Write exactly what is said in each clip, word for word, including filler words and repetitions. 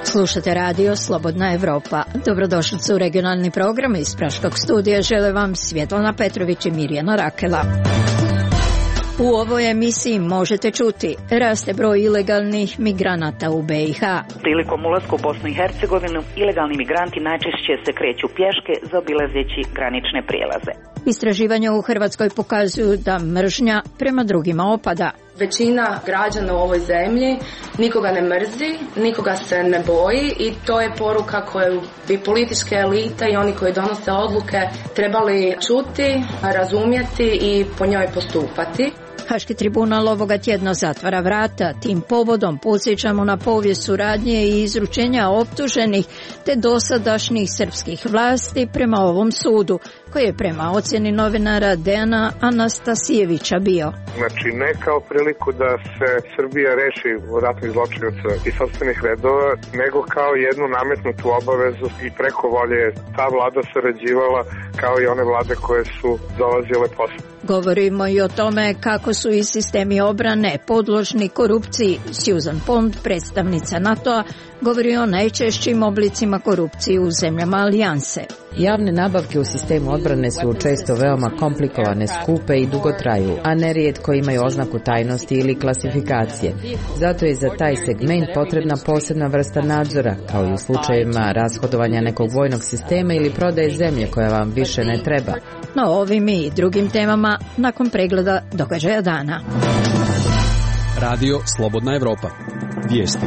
Slušate radio Slobodna Evropa. Dobrodošli u regionalni program iz Praškog studija. Žele vam Svjetlana Petrović i Mirjana Rakela. U ovoj emisiji možete čuti: raste broj ilegalnih migranata u B i H. Prilikom ulaska u Bosnu i Hercegovinu, ilegalni migranti najčešće se kreću pješke zaobilazeći granične prijelaze. Istraživanja u Hrvatskoj pokazuju da mržnja prema drugima opada. Većina građana u ovoj zemlji nikoga ne mrzi, nikoga se ne boji i to je poruka koju bi političke elite i oni koji donose odluke trebali čuti, razumjeti i po njoj postupati. Haški tribunal ovoga tjedna zatvara vrata. Tim povodom podsjećamo na povijest suradnje i izručenja optuženih te dosadašnjih srpskih vlasti prema ovom sudu, koji je prema ocjeni novinara Dejana Anastasijevića bio. Znači ne kao priliku da se Srbija reši ratnih zločinaca i sopstvenih redova, nego kao jednu nametnutu obavezu i preko volje ta vlada sarađivala kao i one vlade koje su dolazile posle. Govorimo i o tome kako su i sistemi obrane podložni korupciji. Susan Pond, predstavnica NATO-a, govori o najčešćim oblicima korupcije u zemljama alijanse. Javne nabavke u sistemu odbrane su često veoma komplikovane, skupe i dugo traju, a nerijetko imaju oznaku tajnosti ili klasifikacije. Zato je za taj segment potrebna posebna vrsta nadzora, kao i u slučajevima rashodovanja nekog vojnog sistema ili prodaje zemlje koja vam više ne treba. No ovim i drugim temama nakon pregleda događaja dana. Radio Slobodna Evropa. Vijesti.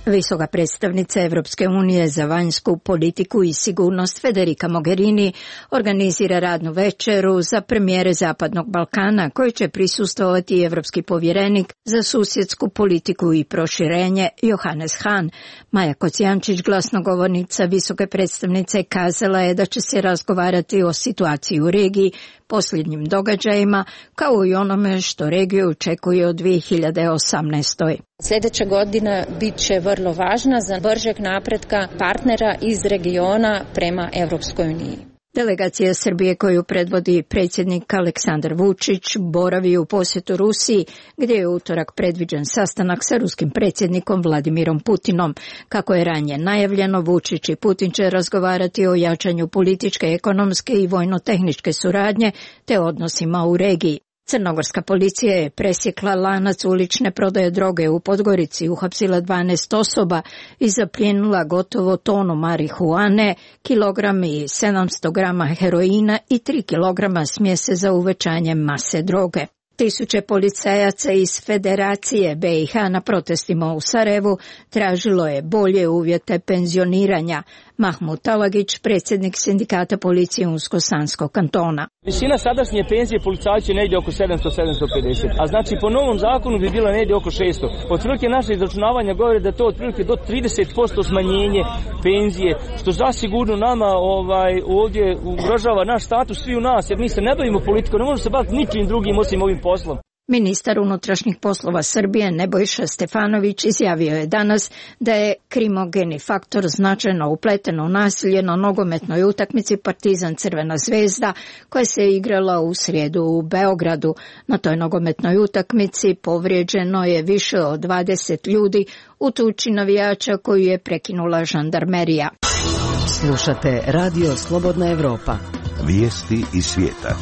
Visoka predstavnica Evropske unije za vanjsku politiku i sigurnost Federica Mogherini organizira radnu večeru za premijere Zapadnog Balkana, koji će prisustvovati evropski povjerenik za susjedsku politiku i proširenje Johannes Hahn. Maja Kocijančić, glasnogovornica visoke predstavnice, kazala je da će se razgovarati o situaciji u regiji, posljednjim događajima, kao i onome što regiju očekuje od dvije hiljade osamnaeste. Sljedeća godina bit će vrlo važna za bržeg napretka partnera iz regiona prema Europskoj uniji. Delegacija Srbije koju predvodi predsjednik Aleksandar Vučić boravi u posjetu Rusiji, gdje je utorak predviđen sastanak sa ruskim predsjednikom Vladimirom Putinom. Kako je ranije najavljeno, Vučić i Putin će razgovarati o jačanju političke, ekonomske i vojno-tehničke suradnje te odnosima u regiji. Crnogorska policija je presjekla lanac ulične prodaje droge u Podgorici, uhapsila dvanaest osoba i zaplijenila gotovo tonu marihuane, kilogram i sedamsto grama heroina i tri kilograma smjese za uvećanje mase droge. Tisuće policajaca iz Federacije B i H na protestima u Sarajevu tražilo je bolje uvjete penzioniranja. Mahmud Talagić, predsjednik sindikata policije Unsko-Sanskog kantona. Visina sadašnje penzije policajcu je negdje oko sedamsto do sedamsto pedeset, a znači po novom zakonu bi bila negdje oko šesto. Otprilike naše izračunavanja govore da to otprilike do trideset posto smanjenje penzije, što zasigurno nama ovaj, ovdje ugrožava naš status, svi u nas, jer mi se ne bavimo politikom, ne možemo se baviti ničim drugim osim ovim poslom. Ministar unutrašnjih poslova Srbije Nebojša Stefanović izjavio je danas da je krimogeni faktor značajno upleten u nasilje na nogometnoj utakmici Partizan Crvena zvezda koja se igrala u srijedu u Beogradu. Na toj nogometnoj utakmici povrijeđeno je više od dvadeset ljudi u tuči navijača koju je prekinula žandarmerija. Slušate Radio Slobodna Evropa. Vijesti iz svijeta.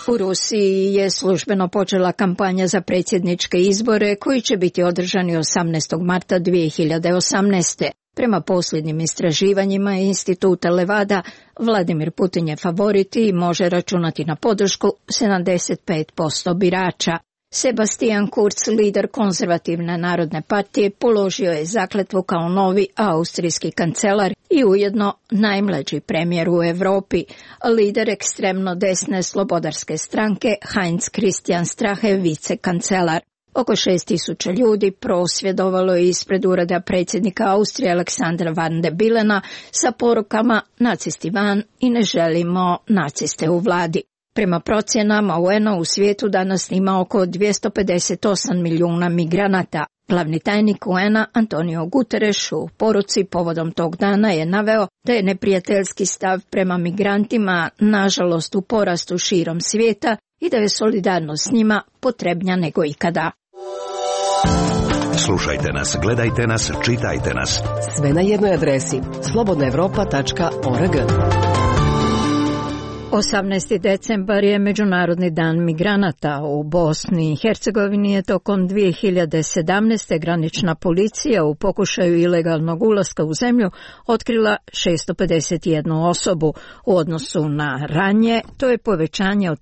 U Rusiji je službeno počela kampanja za predsjedničke izbore koji će biti održani osamnaestog marta dvije hiljade osamnaeste. Prema posljednjim istraživanjima instituta Levada, Vladimir Putin je favorit i može računati na podršku sedamdeset pet posto birača. Sebastian Kurz, lider konzervativne narodne partije, položio je zakletvu kao novi austrijski kancelar i ujedno najmlađi premijer u Europi. Lider ekstremno desne slobodarske stranke Heinz Christian Strache, vicekancelar. Oko šest tisuća ljudi prosvjedovalo je ispred ureda predsjednika Austrije Aleksandra Van de Bilena sa porukama nacisti van i ne želimo naciste u vladi. Prema procjenama U N-a u svijetu danas ima oko dvjesto pedeset osam milijuna migranata. Glavni tajnik U N-a Antonio Guterres u poruci povodom tog dana je naveo da je neprijateljski stav prema migrantima nažalost u porastu širom svijeta i da je solidarnost s njima potrebnija nego ikada. Slušajte nas, gledajte nas, čitajte nas. Sve na jednoj adresi slobodna europa tačka org. osamnaesti decembar je Međunarodni dan migranata. U Bosni i Hercegovini je tokom dvije hiljade sedamnaeste. granična policija u pokušaju ilegalnog ulaska u zemlju otkrila šesto pedeset jednu osobu. U odnosu na ranije, to je povećanje od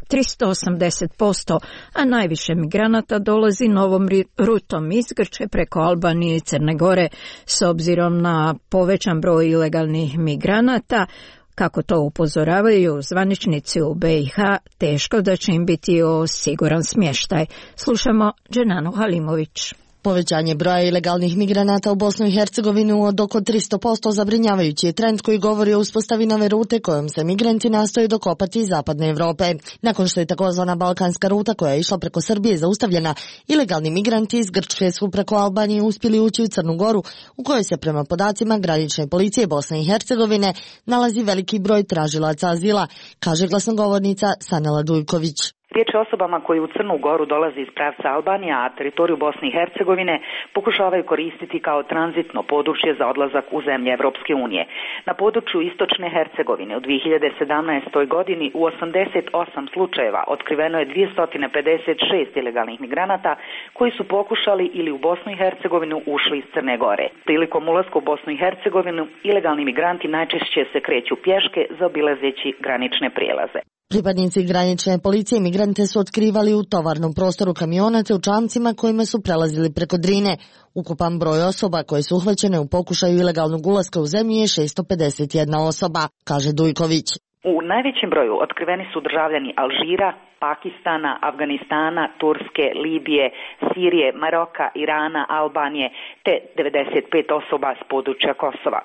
tristo osamdeset posto, a najviše migranata dolazi novom rutom iz Grčke preko Albanije i Crne Gore. S obzirom na povećan broj ilegalnih migranata, kako to upozoravaju zvaničnici u B i H, teško da će im biti o siguran smještaj. Slušamo Dženanu Halimović. Povećanje broja ilegalnih migranata u Bosnu i Hercegovinu od oko tristo posto zabrinjavajući je trend koji govori o uspostavi nove rute kojom se migranti nastoje dokopati iz zapadne Evrope. Nakon što je takozvana balkanska ruta koja je išla preko Srbije zaustavljena, ilegalni migranti iz Grčke su preko Albanije uspjeli ući u Crnu Goru, u kojoj se prema podacima granične policije Bosne i Hercegovine nalazi veliki broj tražilaca azila, kaže glasnogovornica Sanela Dujković. Riječ je o osobama koji u Crnu Goru dolaze iz pravca Albanije, a teritoriju Bosne i Hercegovine pokušavaju koristiti kao tranzitno područje za odlazak u zemlje Evropske unije. Na području istočne Hercegovine u dvije hiljade sedamnaestoj. godini u osamdeset osam slučajeva otkriveno je dvjesto pedeset šest ilegalnih migranata koji su pokušali ili u Bosnu i Hercegovinu ušli iz Crne Gore. Prilikom ulaska u Bosnu i Hercegovinu ilegalni migranti najčešće se kreću pješke zaobilazeći granične prijelaze. Pripadnici granične policije migrante su otkrivali u tovarnom prostoru kamiona te u čamcima kojima su prelazili preko Drine. Ukupan broj osoba koje su uhvaćene u pokušaju ilegalnog ulaska u zemlju je šesto pedeset jedna osoba, kaže Dujković. U najvećem broju otkriveni su državljani Alžira, Pakistana, Afganistana, Turske, Libije, Sirije, Maroka, Irana, Albanije te devedeset pet osoba s područja Kosova.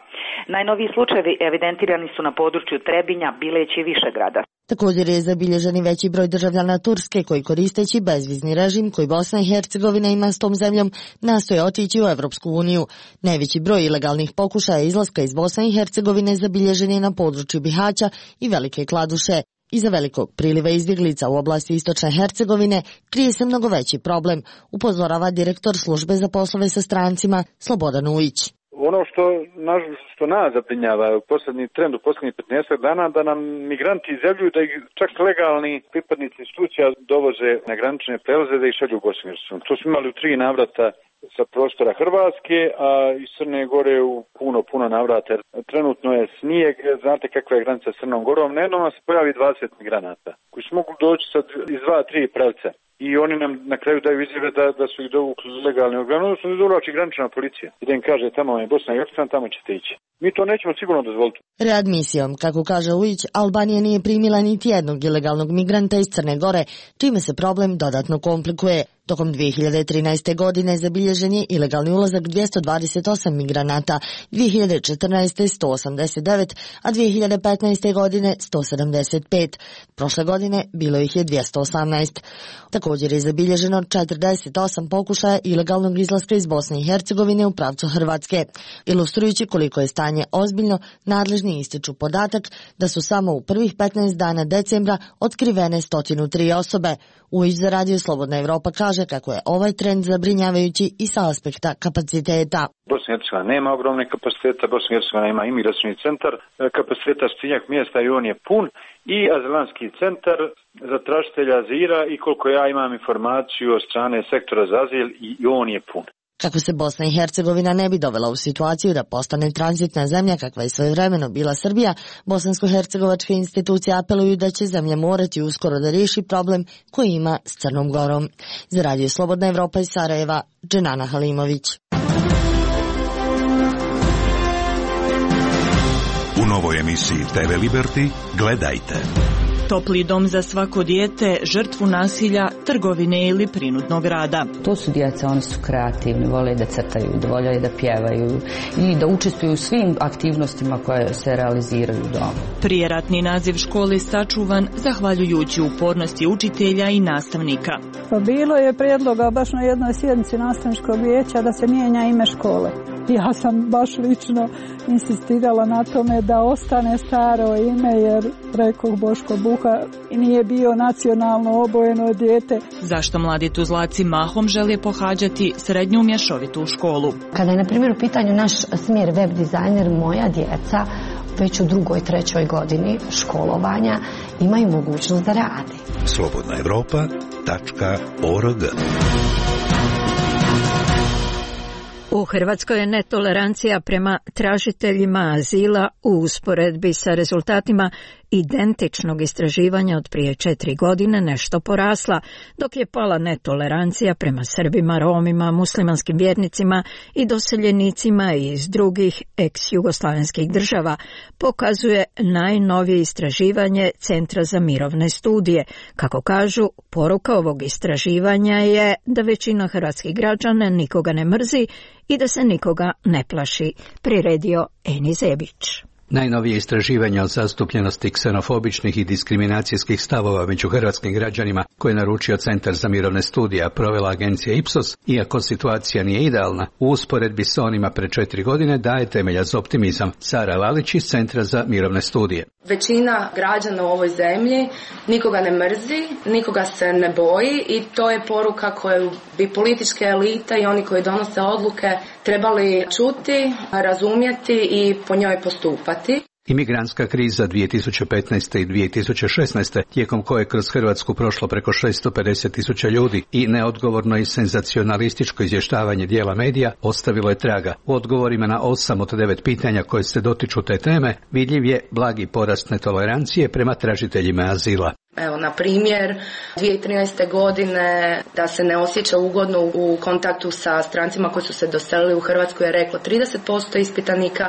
Najnoviji slučajevi evidentirani su na području Trebinja, Bileća i Višegrada. Također je zabilježen i veći broj državljana Turske koji koristeći bezvizni režim koji Bosna i Hercegovina ima s tom zemljom nastoje otići u Evropsku uniju. Najveći broj ilegalnih pokušaja izlaska iz Bosne i Hercegovine zabilježen je na području Bihaća i Velike Kladuše. Iza velikog priliva izbjeglica u oblasti istočne Hercegovine krije se mnogo veći problem, upozorava direktor službe za poslove sa strancima Slobodan Ujić. Ono što, što nas zabrinjava u posljednji trend u posljednjih petnaest dana da nam migranti izjavljuju da ih čak legalni pripadnici institucija dovoze na granične prelaze da ih šalju u Bosnu i Hercegovinu. To smo imali u tri navrata sa prostora Hrvatske, a iz Crne Gore u puno, puno navrata. Trenutno je snijeg, znate kakva je granica s Crnom Gorom, na jednom se pojavi dvadeset migranata koji su mogu doći sad iz dva, tri pravca. I oni nam na kraju daju izjave da, da su ih dovukli legalni organ, odnosno da dovlači granična policija. I da im kaže tamo je Bosna i Hercegovina, tamo ćete ići. Mi to nećemo sigurno dozvoliti. Readmisijom, kako kaže Ujić, Albanija nije primila niti jednog ilegalnog migranta iz Crne Gore, čime se problem dodatno komplikuje. Tokom dvije hiljade trinaeste. godine zabilježen je ilegalni ulazak dvjesto dvadeset osam migranata, dvije hiljade četrnaeste. sto osamdeset devet, a dvije hiljade petnaeste. godine sto sedamdeset pet. Prošle godine bilo ih je dvjesto osamnaest. Također je zabilježeno četrdeset osam pokušaja ilegalnog izlaska iz Bosne i Hercegovine u pravcu Hrvatske. Ilustrujući koliko je stanje ozbiljno, nadležni ističu podatak da su samo u prvih petnaest dana decembra otkrivene sto tri osobe. Ujić za Radio Slobodna Evropa kaže kako je ovaj trend zabrinjavajući i sa aspekta kapaciteta. Bosna i Hercegovina nema ogromne kapaciteta, Bosna i Hercegovina ima imigracioni centar, kapaciteta stotinjak mjesta i on je pun, i azilanski centar za tražitelja azila i koliko ja imam informaciju od strane sektora za azil i on je pun. Kako se Bosna i Hercegovina ne bi dovela u situaciju da postane tranzitna zemlja kakva je svojevremeno bila Srbija, bosansko-hercegovačke institucije apeluju da će zemlja morati uskoro da riješi problem koji ima s Crnom Gorom. Za Radio Slobodna Evropa iz Sarajeva, Dženana Halimović. U novoj emisiji T V Liberty gledajte. Topli dom za svako dijete, žrtvu nasilja, trgovine ili prinudnog rada. To su djeca, oni su kreativni, vole da crtaju, da vole da pjevaju i da učestvuju u svim aktivnostima koje se realiziraju doma. Prijeratni naziv škole sačuvan zahvaljujući upornosti učitelja i nastavnika. Pa bilo je prijedloga baš na jednoj sjednici nastavničkog vijeća da se mijenja ime škole. Ja sam baš lično insistirala na tome da ostane staro ime, jer rekoh Boško Buha nije bio nacionalno obojeno dijete. Zašto mladi Tuzlaci mahom žele pohađati srednju mješovitu školu? Kada je na primjer u pitanju naš smjer web dizajner, moja djeca već u drugoj, trećoj godini školovanja imaju mogućnost da rade. slobodna evropa tačka org. U Hrvatskoj je netolerancija prema tražiteljima azila u usporedbi sa rezultatima identičnog istraživanja od prije četiri godine nešto porasla, dok je pala netolerancija prema Srbima, Romima, muslimanskim vjernicima i doseljenicima iz drugih ex-jugoslavenskih država, pokazuje najnovije istraživanje Centra za mirovne studije. Kako kažu, poruka ovog istraživanja je da većina hrvatskih građana nikoga ne mrzi i da se nikoga ne plaši, priredio Eni Zebić. Najnovije istraživanja o zastupljenosti ksenofobičnih i diskriminacijskih stavova među hrvatskim građanima koje je naručio Centar za mirovne studije, a provela agencija Ipsos, iako situacija nije idealna, u usporedbi sa onima pre četiri godine daje temelja za optimizam. Sara Lalić iz Centra za mirovne studije. Većina građana u ovoj zemlji nikoga ne mrzi, nikoga se ne boji i to je poruka koju bi političke elite i oni koji donose odluke trebali čuti, razumjeti i po njoj postupati. Imigrantska kriza dvije tisuće petnaeste i dvije tisuće šesnaeste, tijekom koje je kroz Hrvatsku prošlo preko šesto pedeset tisuća ljudi, i neodgovorno i senzacionalističko izvještavanje dijela medija ostavilo je traga. U odgovorima na osam od devet pitanja koje se dotiču te teme vidljiv je blagi porast netolerancije prema tražiteljima azila. Evo, na primjer, dvije tisuće trinaeste. godine da se ne osjeća ugodno u kontaktu sa strancima koji su se doselili u Hrvatsku je reklo trideset posto ispitanika,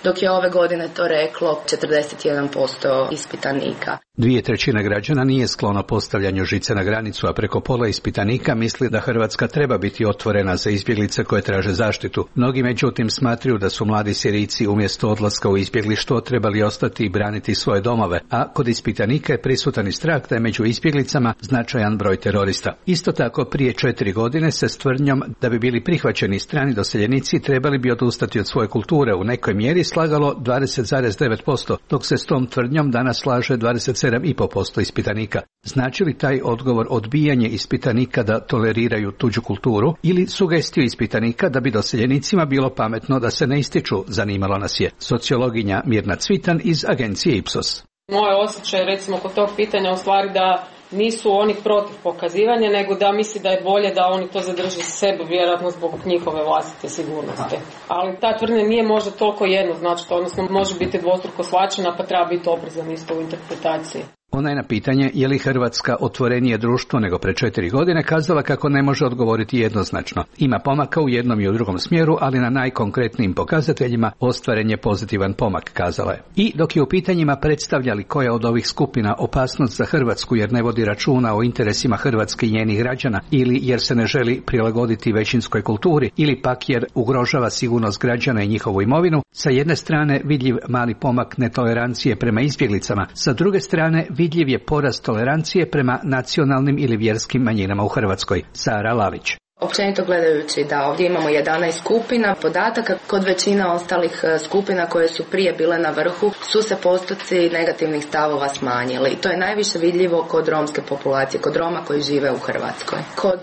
dok je ove godine to reklo četrdeset jedan posto ispitanika. Dvije trećine građana nije sklono postavljanju žice na granicu, a preko pola ispitanika misli da Hrvatska treba biti otvorena za izbjeglice koje traže zaštitu. Mnogi međutim smatraju da su mladi Sirijci umjesto odlaska u izbjeglištvo trebali ostati i braniti svoje domove, a kod ispitanika je prisutan i strah da je među izbjeglicama značajan broj terorista. Isto tako, prije četiri godine se s tvrdnjom da bi bili prihvaćeni strani doseljenici trebali bi odustati od svoje kulture u nekoj mjeri slagalo dvadeset zarez devet posto, dok se s tom tvrdnjom danas slaže dvadeset sedam zarez pet posto ispitanika. Znači li taj odgovor odbijanje ispitanika da toleriraju tuđu kulturu ili sugestiju ispitanika da bi doseljenicima bilo pametno da se ne ističu, zanimalo nas je sociologinja Mirna Cvitan iz agencije Ipsos. Moj osjećaj recimo kod tog pitanja u stvari da nisu oni protiv pokazivanja, nego da misli da je bolje da oni to zadrže za sebe, vjerojatno zbog njihove vlastite sigurnosti. Ali ta tvrdnja nije možda toliko jednoznačna, odnosno može biti dvostruko shvaćena, pa treba biti oprezan isto u interpretaciji. Ona je na pitanje je li Hrvatska otvorenije društvo nego pre četiri godine kazala kako ne može odgovoriti jednoznačno. Ima pomaka u jednom i u drugom smjeru, ali na najkonkretnijim pokazateljima ostvaren je pozitivan pomak, kazala je. I dok je u pitanjima predstavljali koja od ovih skupina opasnost za Hrvatsku jer ne vodi računa o interesima Hrvatske i njenih građana, ili jer se ne želi prilagoditi većinskoj kulturi, ili pak jer ugrožava sigurnost građana i njihovu imovinu, sa jedne strane vidljiv mali pomak netolerancije prema izbjeglicama, sa druge strane vidljiv je porast tolerancije prema nacionalnim ili vjerskim manjinama u Hrvatskoj. Sara Lalić. Općenito gledajući da ovdje imamo jedanaest skupina podataka, kod većina ostalih skupina koje su prije bile na vrhu su se postoci negativnih stavova smanjili. To je najviše vidljivo kod romske populacije, kod Roma koji žive u Hrvatskoj. Kod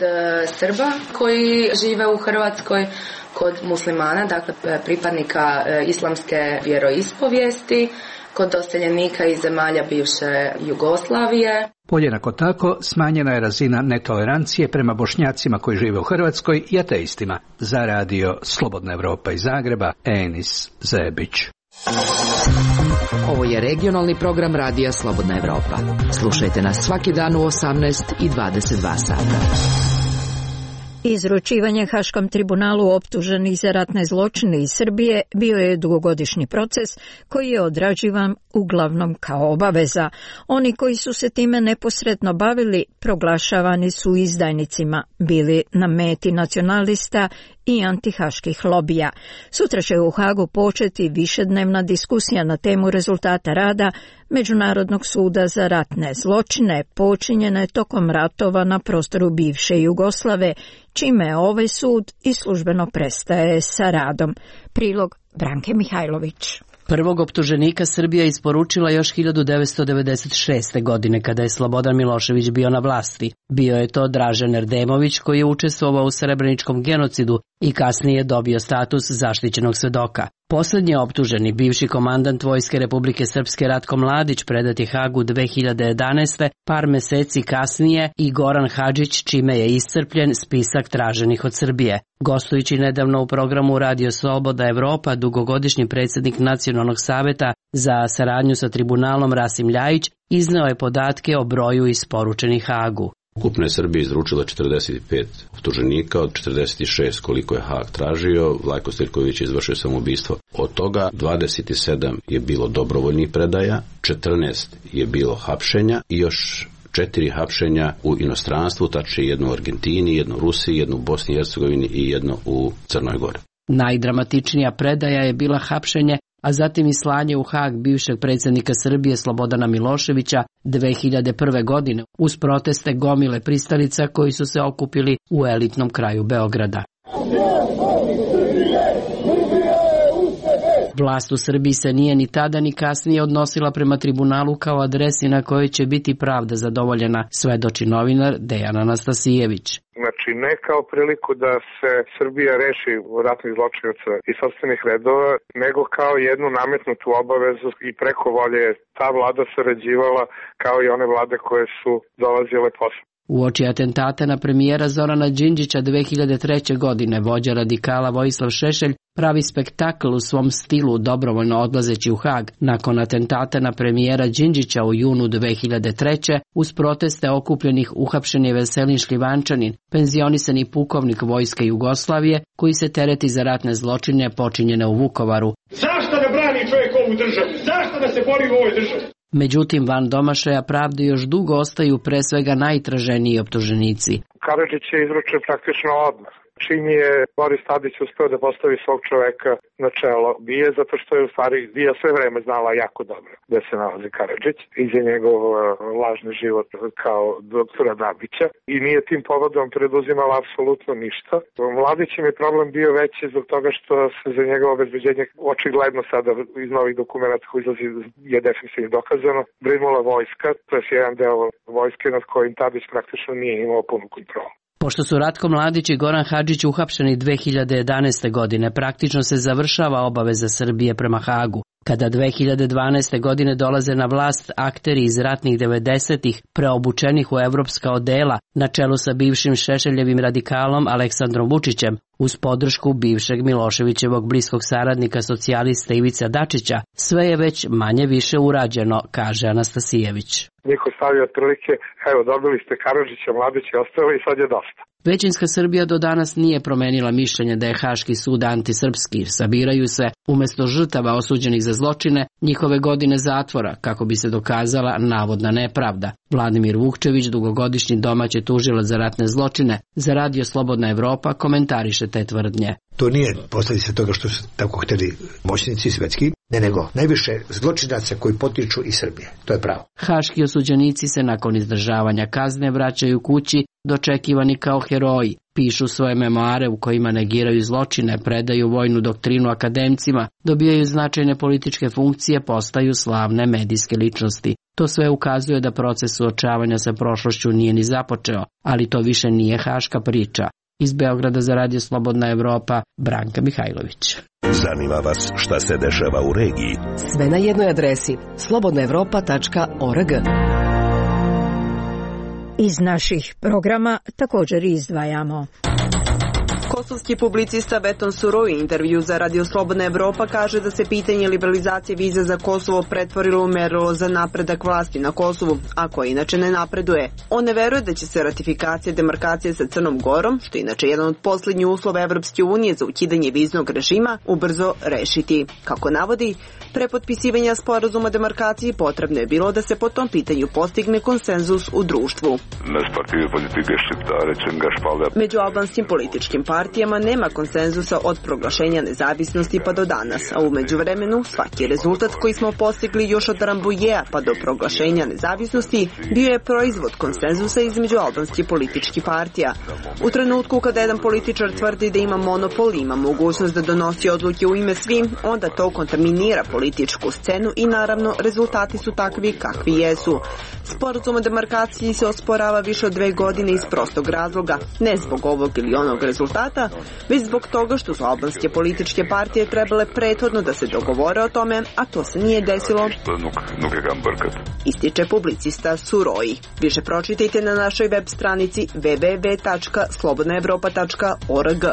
Srba koji žive u Hrvatskoj, kod muslimana, dakle pripadnika islamske vjeroispovijesti, kod doseljenika iz zemalja bivše Jugoslavije. Podjednako tako smanjena je razina netolerancije prema Bošnjacima koji žive u Hrvatskoj i ateistima. Za radio Slobodna Evropa iz Zagreba, Enis Zebić. Ovo je regionalni program radija Slobodna Evropa. Slušajte nas svaki dan u osamnaest i dvadeset dva sata. Izručivanje Haškom tribunalu optuženih za ratne zločine iz Srbije bio je dugogodišnji proces koji je odrađivan uglavnom kao obaveza. Oni koji su se time neposredno bavili proglašavani su izdajnicima, bili na meti nacionalista i antihaških lobija. Sutra će u Hagu početi višednevna diskusija na temu rezultata rada Međunarodnog suda za ratne zločine počinjene tokom ratova na prostoru bivše Jugoslave, čime ovaj sud i službeno prestaje sa radom. Prilog Branke Mihajlović. Prvog optuženika Srbija isporučila još hiljadu devetsto devedeset šeste. godine kada je Slobodan Milošević bio na vlasti. Bio je to Dražen Erdemović koji je učestvovao u srebreničkom genocidu i kasnije dobio status zaštićenog svedoka. Poslednji optuženi, bivši komandant Vojske Republike Srpske Ratko Mladić, predat je Hagu dve hiljade jedanaeste. par meseci kasnije i Goran Hadžić, čime je iscrpljen spisak traženih od Srbije. Gostujući nedavno u programu Radio Sloboda Evropa, dugogodišnji predsjednik Nacionalnog saveta za saradnju sa tribunalom Rasim Ljajić izneo je podatke o broju isporučenih Hagu. Ukupno je Srbija izručila četrdeset pet optuženika, od četrdeset šest koliko je Hag tražio, Vlajko Stojković je izvršio samoubistvo. Od toga dvadeset sedam je bilo dobrovoljnih predaja, četrnaest je bilo hapšenja i još četiri hapšenja u inostranstvu, tačnije jedno u Argentini, jedno u Rusiji, jedno u Bosni i Hercegovini i jedno u Crnoj Gori. Najdramatičnija predaja je bila hapšenje, a zatim i slanje u Hag bivšeg predsjednika Srbije Slobodana Miloševića dve hiljade prve. godine uz proteste gomile pristalica koji su se okupili u elitnom kraju Beograda. Vlast u Srbiji se nije ni tada ni kasnije odnosila prema tribunalu kao adresi na kojoj će biti pravda zadovoljena, svedoči novinar Dejan Anastasijević. Znači, ne kao priliku da se Srbija reši ratnih zločinaca iz sopstvenih redova, nego kao jednu nametnutu obavezu i preko volje ta vlada sarađivala kao i one vlade koje su dolazile posle. Uoči atentata na premijera Zorana Đinđića dve hiljade treće. godine vođa radikala Vojislav Šešelj pravi spektakl u svom stilu dobrovoljno odlazeći u Hag. Nakon atentata na premijera Đinđića u junu dve hiljade treće. uz proteste okupljenih uhapšen je Veselin Šljivančanin, penzionisani pukovnik Vojske Jugoslavije koji se tereti za ratne zločine počinjene u Vukovaru. Zašto da brani čovjek ovu državu? Zašto da se bori u ovoj državi? Međutim, van domašaja pravde još dugo ostaju pre svega najtraženiji optuženici. Karadžić je izručen praktično odmah. Čim je Boris Tadić uspeo da postavi svog čoveka na čelo BIA, zato što je u stvari BIA sve vreme znala jako dobro gde se nalazi Karadžić i za njegov lažni život kao doktora Dabića i nije tim povodom preduzimala apsolutno ništa. Mladićem je problem bio veći zbog toga što se za njegovo obezbeđenje očigledno sada iz novih dokumenta koji izlazi je definitivno dokazano brinula vojska, to je jedan deo vojske nad kojim Tadić praktično nije imao punu kontrolu. Pošto su Ratko Mladić i Goran Hadžić uhapšeni dve hiljade jedanaeste. godine, praktično se završava obaveza Srbije prema Hagu. Kada dve hiljade dvanaeste. godine dolaze na vlast akteri iz ratnih devedesetih preobučenih u evropska odela na čelu sa bivšim Šešeljevim radikalom Aleksandrom Vučićem, uz podršku bivšeg Miloševićevog bliskog saradnika socijalista Ivica Dačića, sve je već manje više urađeno, kaže Anastasijević. Niko stavio otprilike, evo dobili ste Karadžića, Mladić je ostalo i sad je dosta. Većinska Srbija do danas nije promenila mišljenje da je Haški sud antisrpski. Sabiraju se, umesto žrtava osuđenih za zločine, njihove godine zatvora, kako bi se dokazala navodna nepravda. Vladimir Vukčević, dugogodišnji domaći tužilac za ratne zločine, za Radio Slobodna Evropa komentariše te tvrdnje. To nije posljedica toga što su tako hteli moćnici svetski, ne nego najviše zločinaca koji potiču iz Srbije. To je pravo. Haški osuđenici se nakon izdržavanja kazne vraćaju kući, dočekivani kao heroji. Pišu svoje memoare u kojima negiraju zločine, predaju vojnu doktrinu akademcima, dobijaju značajne političke funkcije, postaju slavne medijske ličnosti. To sve ukazuje da proces suočavanja sa prošlošću nije ni započeo, ali to više nije haška priča. Iz Beograda za Radio Slobodna Evropa, Branka Mihajlović. Zanima vas šta se dešava u regiji? Sve na jednoj adresi slobodna evropa tačka org. Iz naših programa također izdvajamo. Kosovski publicista Veton Suroi u intervju za Radio Slobodna Evropa kaže da se pitanje liberalizacije vize za Kosovo pretvorilo u merilo za napredak vlasti na Kosovu, a koja inače ne napreduje. On ne veruje da će se ratifikacija demarkacije sa Crnom Gorom, što je inače jedan od posljednjih uslova Evropske unije za ukidanje viznog režima, ubrzo rešiti. Kako navodi, pre potpisivanja sporazuma demarkaciji potrebno je bilo da se po tom pitanju postigne konsenzus u društvu. Među albanskim političkim partijama nema konsenzusa od proglašenja nezavisnosti pa do danas, a u međuvremenu svaki rezultat koji smo postigli još od Rambouillea pa do proglašenja nezavisnosti bio je proizvod konsenzusa između albanskih političkih partija. U trenutku kada jedan političar tvrdi da ima monopol i ima mogućnost da donosi odluke u ime svim, onda to kontaminira političku scenu i naravno rezultati su takvi kakvi jesu. Sporazum o demarkaciji se osporava više od dve godine iz prostog razloga, ne zbog ovog ili onog rezultata, već zbog toga što su albanske političke partije trebale prethodno da se dogovore o tome, a to se nije desilo. Ističe publicista Suroi. Više pročitajte na našoj web stranici w w w tačka slobodna evropa tačka org.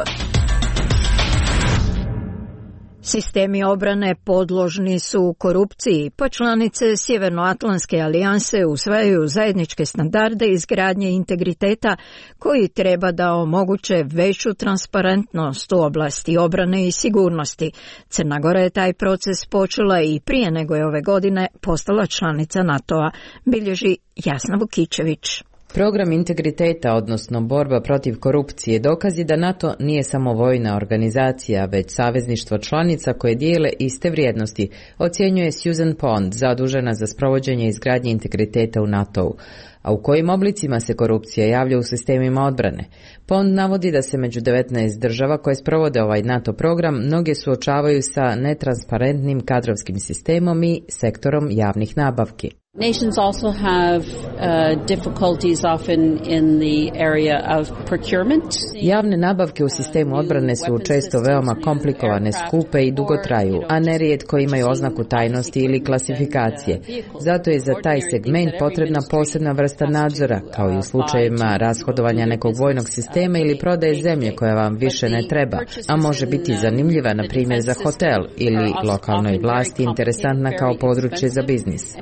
Sistemi obrane podložni su korupciji, pa članice Sjevernoatlantske alijanse usvajaju zajedničke standarde izgradnje integriteta koji treba da omoguće veću transparentnost u oblasti obrane i sigurnosti. Crna Gora je taj proces počela i prije nego je ove godine postala članica NATO-a, bilježi Jasna Vukičević. Program integriteta, odnosno borba protiv korupcije, dokazi da NATO nije samo vojna organizacija, već savezništvo članica koje dijele iste vrijednosti, ocjenjuje Susan Pond, zadužena za sprovođenje izgradnje integriteta u NATO-u. A u kojim oblicima se korupcija javlja u sistemima odbrane? Pond navodi da se među devetnaest država koje sprovode ovaj NATO program mnoge suočavaju sa netransparentnim kadrovskim sistemom i sektorom javnih nabavki. Nations also have uh, difficulties often in the area of procurement. Javne nabavke u sistemu odbrane su često veoma komplikovane, skupe i dugo traju, a nerijetko imaju oznaku tajnosti ili klasifikacije. Zato je za taj segment potrebna posebna vrsta nadzora, kao i u slučajevima rashodovanja nekog vojnog sistema ili prodaje zemlje koja vam više ne treba, a može biti zanimljiva, na primjer, za hotel ili lokalnoj vlasti interesantna kao područje za biznis.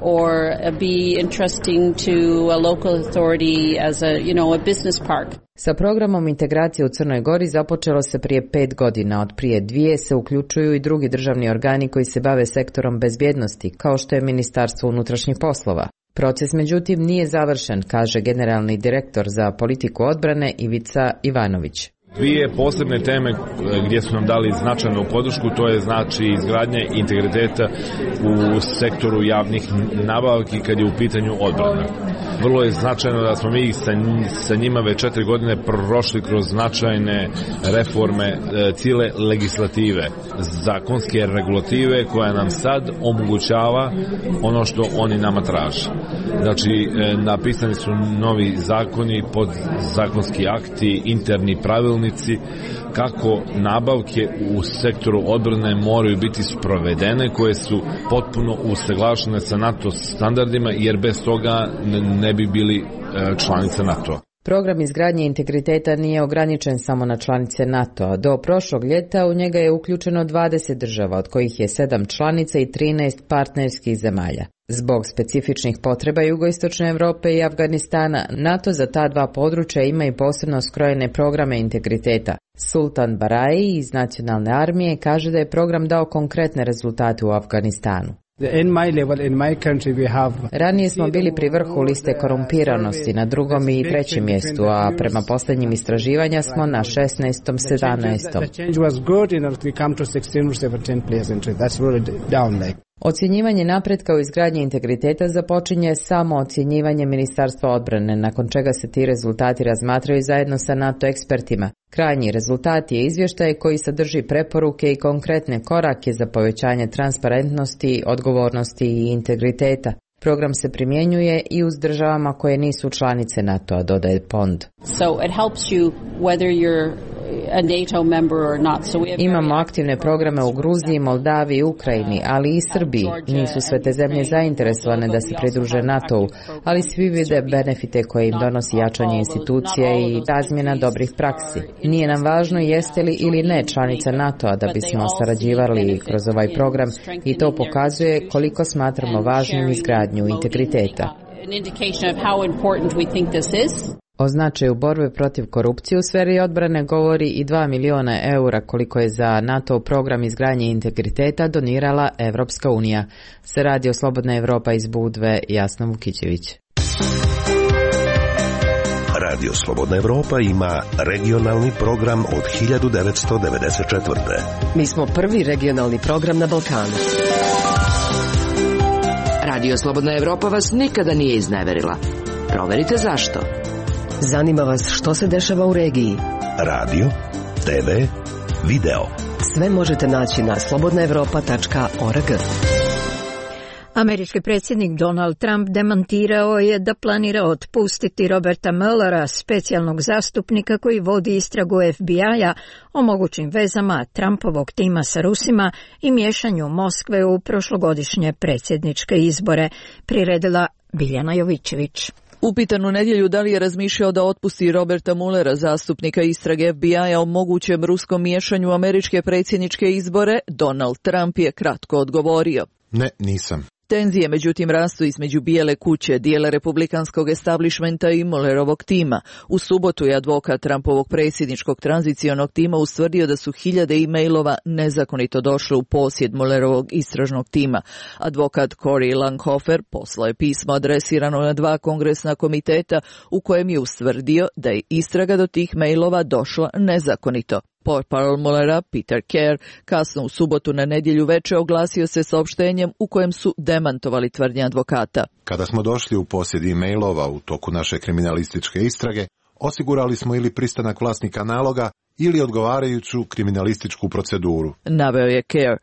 Be interesting to a local authority as a, you know, a business park. Sa programom integracije u Crnoj Gori započelo se prije pet godina. Od prije dvije se uključuju i drugi državni organi koji se bave sektorom bezbjednosti, kao što je Ministarstvo unutrašnjih poslova. Proces, međutim, nije završen, kaže generalni direktor za politiku odbrane Ivica Ivanović. Dvije posebne teme gdje su nam dali značajnu podršku, to je znači izgradnje integriteta u sektoru javnih nabavki kad je u pitanju odbrana. Vrlo je značajno da smo mi sa, sa njima već četiri godine prošli kroz značajne reforme cijele legislative, zakonske regulative koja nam sad omogućava ono što oni nama traže. Znači, napisani su novi zakoni, podzakonski akti, interni pravilnici, kako nabavke u sektoru odbrane moraju biti sprovedene, koje su potpuno usaglašene sa NATO standardima, jer bez toga ne bi bili članice NATO-a. Program izgradnje integriteta nije ograničen samo na članice NATO-a. Do prošlog ljeta u njega je uključeno dvadeset država, od kojih je sedam članica i trinaest partnerskih zemalja. Zbog specifičnih potreba Jugoistočne Europe i Afganistana, NATO za ta dva područja ima i posebno skrojene programe integriteta. Sultan Baraji iz Nacionalne armije kaže da je program dao konkretne rezultate u Afganistanu. Ranije smo bili pri vrhu liste korumpiranosti, na drugom i trećem mjestu, a prema posljednjim istraživanja smo na šesnaestom sedamnaestom Ocjenjivanje napretka u izgradnji integriteta započinje samo ocjenjivanje Ministarstva odbrane, nakon čega se ti rezultati razmatraju zajedno sa NATO ekspertima. Krajnji rezultat je izvještaj koji sadrži preporuke i konkretne korake za povećanje transparentnosti, odgovornosti i integriteta. Program se primjenjuje i uz državama koje nisu članice NATO-a, dodaje Pond. So it helps you whether you're a NATO member or not. So we have Imamo aktivne programe u Gruziji, Moldaviji, Ukrajini, ali i Srbiji. Nisu sve te zemlje zainteresovane da se pridruže NATO-u, ali svi vide benefite koje im donosi jačanje institucija i razmjena dobrih praksi. Nije nam važno jeste li ili ne članica NATO-a da bismo sarađivali kroz ovaj program i to pokazuje koliko smatramo važnim izgradnju integriteta. O značaju borbe protiv korupcije u sferi odbrane govori i dva miliona eura koliko je za NATO program izgradnje integriteta donirala Evropska unija. Se radi o Slobodna Evropa iz Budve, Jasna Vukićević. Radio Slobodna Evropa ima regionalni program od hiljadu devetsto devedeset četvrte. Mi smo prvi regionalni program na Balkanu. Radio Slobodna Evropa vas nikada nije izneverila. Proverite zašto. Zanima vas što se dešava u regiji. Radio, te ve, video. Sve možete naći na slobodna evropa tačka org. Američki predsjednik Donald Trump demantirao je da planira otpustiti Roberta Muellera, specijalnog zastupnika koji vodi istragu F B I-a o mogućim vezama Trumpovog tima sa Rusima i miješanju Moskve u prošlogodišnje predsjedničke izbore, priredila Biljana Jovićević. Upitan u nedjelju da li je razmišljao da otpusti Roberta Muellera, zastupnika istrage F B I-a o mogućem ruskom miješanju u američke predsjedničke izbore, Donald Trump je kratko odgovorio. Ne, nisam. Tenzije međutim rastu između Bijele kuće, dijela republikanskog establishmenta i Muellerovog tima. U subotu je advokat Trumpovog predsjedničkog tranzicionog tima ustvrdio da su hiljade e-mailova nezakonito došle u posjed Muellerovog istražnog tima. Advokat Cory Langhofer poslao je pismo adresirano na dva kongresna komiteta u kojem je ustvrdio da je istraga do tih mailova došla nezakonito. Portparol Muellera, Peter Kerr, kasno u subotu na nedjelju veče oglasio se saopštenjem u kojem su demantovali tvrdnje advokata. Kada smo došli u posjed e-mailova u toku naše kriminalističke istrage, osigurali smo ili pristanak vlasnika naloga ili odgovarajuću kriminalističku proceduru, naveo je Kerr.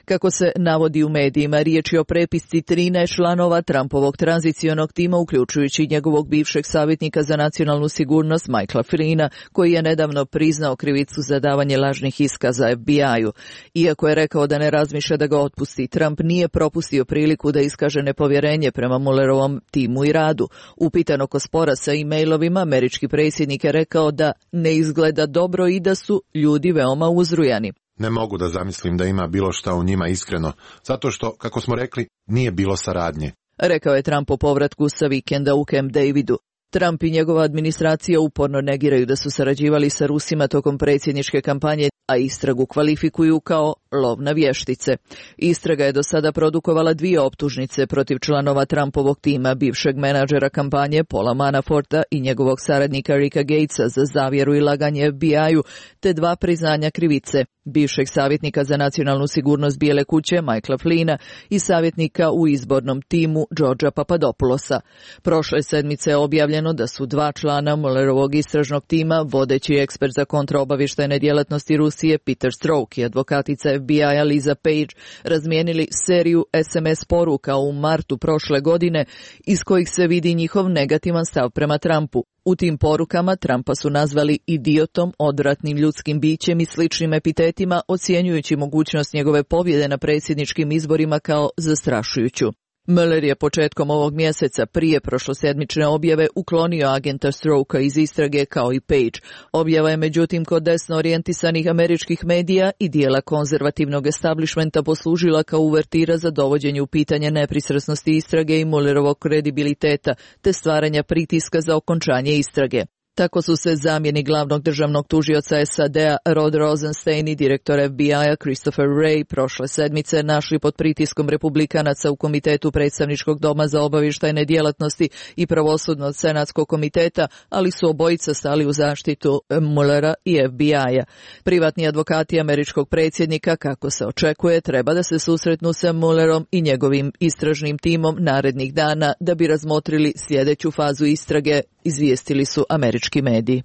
Kako se navodi u medijima, riječ je o prepisci trinaest članova Trumpovog tranzicionog tima, uključujući njegovog bivšeg savjetnika za nacionalnu sigurnost Michaela Flyna, koji je nedavno priznao krivicu za davanje lažnih iskaza F B I-u. Iako je rekao da ne razmišlja da ga otpusti, Trump nije propustio priliku da iskaže nepovjerenje prema Muellerovom timu i radu. Upitan oko spora sa e-mailovima, američki predsjednik je rekao da ne izgleda dobro i da su ljudi veoma uzrujani. Ne mogu da zamislim da ima bilo šta u njima iskreno, zato što, kako smo rekli, nije bilo saradnje. Rekao je Trump po povratku sa vikenda u Camp Davidu. Trump i njegova administracija uporno negiraju da su sarađivali sa Rusima tokom predsjedničke kampanje, a istragu kvalifikuju kao lov na vještice. Istraga je do sada produkovala dvije optužnice protiv članova Trumpovog tima, bivšeg menadžera kampanje Paula Manaforta i njegovog saradnika Ricka Gatesa za zavjeru i laganje F B I-u, te dva priznanja krivice, bivšeg savjetnika za nacionalnu sigurnost Bijele kuće Michaela Flyna i savjetnika u izbornom timu Georgea Papadopoulosa. Prošle sedmice je objavljeno da su dva člana Muellerovog istražnog tima, vodeći ekspert za kontraobavještajne djelatnosti Rusije Peter Strzok i advokatica F B I-a Lisa Page razmijenili seriju S M S poruka u martu prošle godine iz kojih se vidi njihov negativan stav prema Trumpu. U tim porukama Trumpa su nazvali idiotom, odvratnim ljudskim bićem i sličnim epitetima, ocjenjujući mogućnost njegove pobjede na predsjedničkim izborima kao zastrašujuću. Mueller je početkom ovog mjeseca prije prošlosedmične objave uklonio agenta Strzok'a iz istrage kao i Page. Objava je međutim kod desno orijentisanih američkih medija i dijela konzervativnog establishmenta poslužila kao uvertira za dovođenje u pitanje nepristrasnosti istrage i Muellerovog kredibiliteta, te stvaranja pritiska za okončanje istrage. Tako su se zamjenik glavnog državnog tužioca S A D-a Rod Rosenstein i direktor F B I-a Christopher Wray prošle sedmice našli pod pritiskom republikanaca u Komitetu predstavničkog doma za obavještajne djelatnosti i pravosudnog senatskog komiteta, ali su obojica stali u zaštitu Muellera i F B I-a. Privatni advokati američkog predsjednika, kako se očekuje, treba da se susretnu sa Muellerom i njegovim istražnim timom narednih dana da bi razmotrili sljedeću fazu istrage, izvijestili su američki mediji.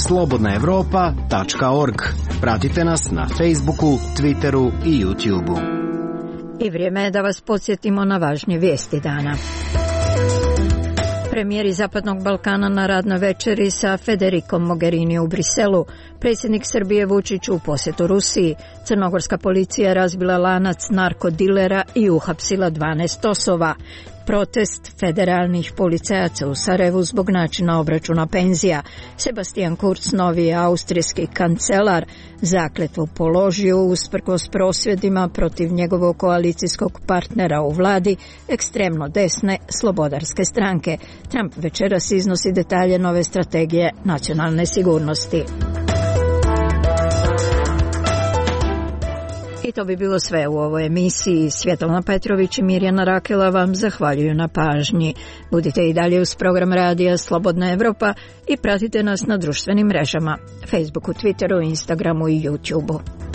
slobodna evropa tačka org. Pratite nas na Facebooku, Twitteru i YouTubeu. I vrijeme je da vas podsjetimo na važnije vijesti dana. Premijeri Zapadnog Balkana na radnoj večeri sa Federikom Mogherini u Briselu. Predsjednik Srbije Vučić u posjetu Rusiji. Crnogorska policija razbila lanac narkodilera i uhapsila dvanaest osoba. Protest federalnih policajaca u Sarajevu zbog načina obračuna penzija. Sebastian Kurz, novi austrijski kancelar, zakletvu položio usprkos prosvjedima protiv njegovog koalicijskog partnera u vladi, ekstremno desne slobodarske stranke. Trump večeras iznosi detalje nove strategije nacionalne sigurnosti. I to bi bilo sve u ovoj emisiji. Svjetlana Petrović i Mirjana Rakela vam zahvaljuju na pažnji. Budite i dalje uz program radija Slobodna Evropa i pratite nas na društvenim mrežama, Facebooku, Twitteru, Instagramu i YouTubeu.